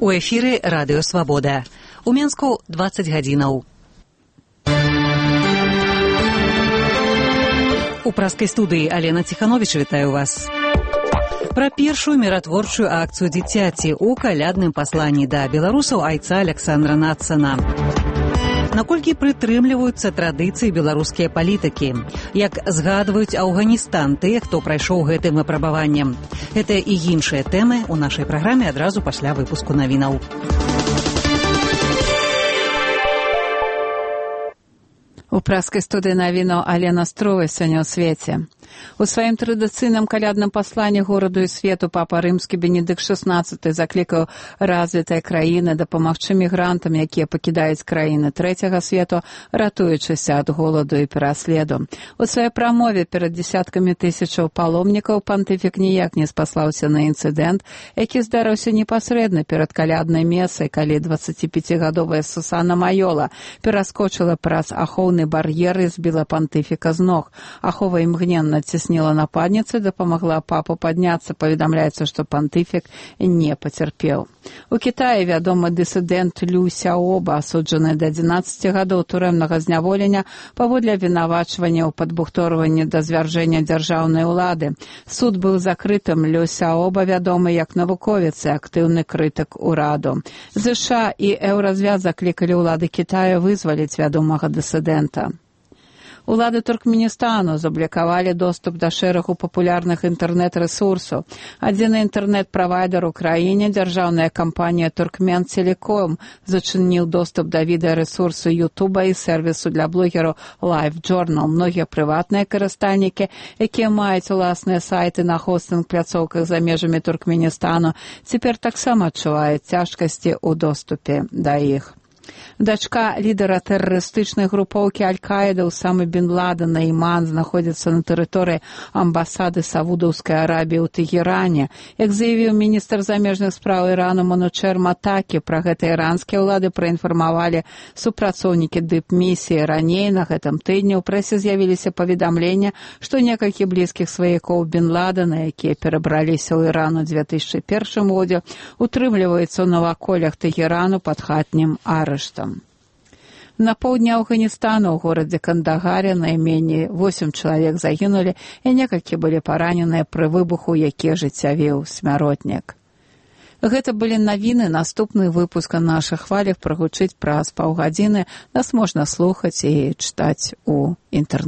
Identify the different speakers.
Speaker 1: У эфіры Радыё Свабода. У Менску 20 гадзінаў. У праскай студыі Алена Ціхановіч вітаю вас. Пра першую міратворчую акцыю дзіцяці ў калядным пасланні да беларусаў айца Александра Нацана. Наколькі прытрымліваюцца традыцыі беларускія палітыкі? Як згадваюць Афганістан тыя, хто прайшоў гэтым выпрабаваннем? Гэта і іншыя тэмы ў нашай праграме адразу пасля выпуску навінаў.
Speaker 2: У праскай студыі навінаў Алена Строва сёння ў свеце. У сваім традыцыйным калядным пасланні гораду і свету папа рымскі Бенедыкт XVI заклікаў развітыя краіны дапамагчы мігрантам, якія пакідаюць краіны трэцяга свету, ратуючыся ад голаду і пераследу. У сваёй прамове перад дзесяткамі тысячаў паломнікаў пантыфік ніяк не спаслаўся на інцыдэнт, які здарыўся непасрэдна перад каляднай месай, калі 25-гадовая Сусана Майола пераскочыла праз ахоўны бар'ер і збіла пантыфіка з ног. Ахова імгненна цесніла нападніцы, дапамагла папу падняцца. Паведамляецца, што пантыфік не пацярпеў. У Кітаі вядомы дысідэнт Лю Сяоба, асуджаны да 11 гадоў турэмнага зняволення паводле абвінавачвання ў падбухторванні да звяржэння дзяржаўнай улады. Суд быў закрытым. Лю Сяоба вядомы як навуковец і актыўны крытык ураду. ЗША і Еўразвяз заклікалі ўлады Кітаю вызваліць вядомага дысідэнта. Улады Туркменістану заблокавалі доступ да шэрагу папулярных інтэрнэт-рэсурсаў. Адзіны інтэрнэт-правайдар у краіне, дзяржаўная кампанія Туркменцелеком, зачыніў доступ да відэарэсурсу Ютуба і сервісу для блогераў LiveJournal. Многія прыватныя карыстальнікі, якія маюць уласныя сайты на хостынг-пляцоўках за межамі Туркменістану, цяпер таксама адчуваюць цяжкасці ў доступе да іх. Дачка лідара тэрарыстычнай групоўкі Аль-Каіда Усамы бін Ладена Іман знаходзіцца на тэрыторыі амбасады Саудаўскай Арабіі ў Тэгеране. Як заявіў міністр замежных спраў Ірану Манучер Матакі, пра гэта іранскія ўлады праінфармавалі супрацоўнікі дыпмісіі. Раней на гэтым тыдні ў прэсе з'явіліся паведамлення, што некалькі блізкіх сваякоў бін Ладена, якія перабраліся ў Іран у 2001 годзе, утрымліваюцца ў наваколлях Тэгерану пад хатнім арыштам. На поўдні Афганістану ў горадзе Кандагаре найменей 8 чалавек загінулі і некалькі былі параненыя пры выбуху, які ажыццявіў смяротнік. Гэта былі навіны. Наступны выпуск на нашых хвалях прагучыць праз паўгадзіны. Нас можна слухаць і чытаць у інтэрнэце.